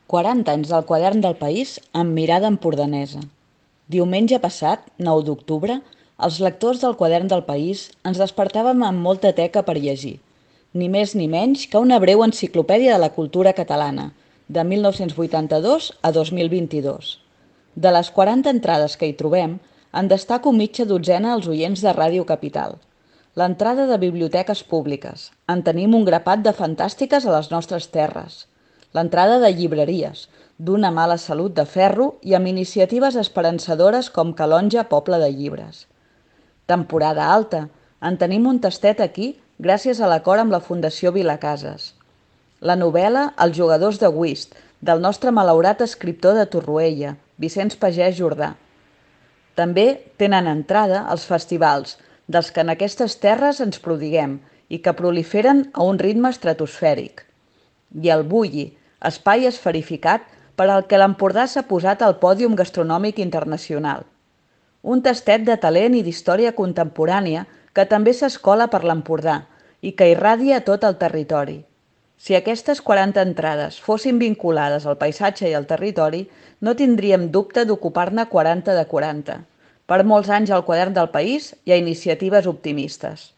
40 anys del Quadern del País amb mirada empordanesa. Diumenge passat, 9 d'octubre, els lectors del Quadern del País ens despertàvem amb molta teca per llegir, ni més ni menys que una breu enciclopèdia de la cultura catalana, de 1982 a 2022. De les 40 entrades que hi trobem, en destaco mitja dotzena als oients de Ràdio Capital. L'entrada de biblioteques públiques. En tenim un grapat de fantàstiques a les nostres terres. L'entrada de llibreries, d'una mala salut de ferro i amb iniciatives esperançadores com Calonja Poble de Llibres. Temporada alta. En tenim un tastet aquí gràcies a l'acord amb la Fundació Vilacases. La novel·la Els jugadors de whist, del nostre malaurat escriptor de Torroella, Vicenç Pagès Jordà. També tenen entrada els festivals, dels que en aquestes terres ens prodiguem i que proliferen a un ritme estratosfèric. I el Bulli, espai esferificat per al que l'Empordà s'ha posat al pòdium gastronòmic internacional. Un tastet de talent i d'història contemporània que també s'escola per l'Empordà i que irradia a tot el territori. Si aquestes 40 entrades fossin vinculades al paisatge i al territori, no tindríem dubte d'ocupar-ne 40 de 40. Per molts anys al Quadern del País i a iniciatives optimistes.